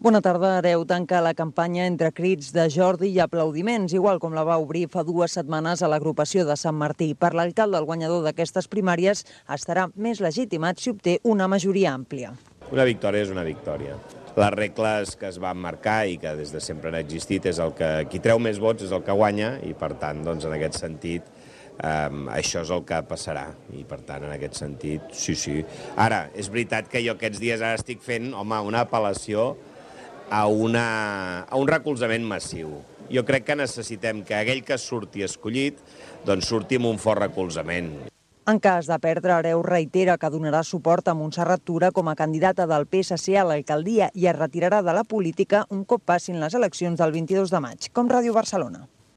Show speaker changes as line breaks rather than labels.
Bona tarda. Areu tanca la campanya entre crits de Jordi i aplaudiments, igual com la va obrir fa 2 setmanes a l'agrupació de Sant Martí. Per l'alcalde, el guanyador d'aquestes primàries estarà més legitimat si obté una majoria àmplia.
Una victòria és una victòria. Les regles que es van marcar i que des de sempre han existit és el que qui treu més vots és el que guanya i, per tant, doncs, en aquest sentit, això és el que passarà i, per tant, en aquest sentit, sí. Ara, és veritat que jo aquests dies ara estic fent, una apel·lació a un recolzament massiu. Jo crec que necessitem que aquell que surti escollit doncs surti amb un fort recolzament.
En cas de perdre, Areu reitera que donarà suport a Montserrat Tura com a candidata del PSC a l'alcaldia i es retirarà de la política un cop passin les eleccions del 22 de maig, com Ràdio Barcelona.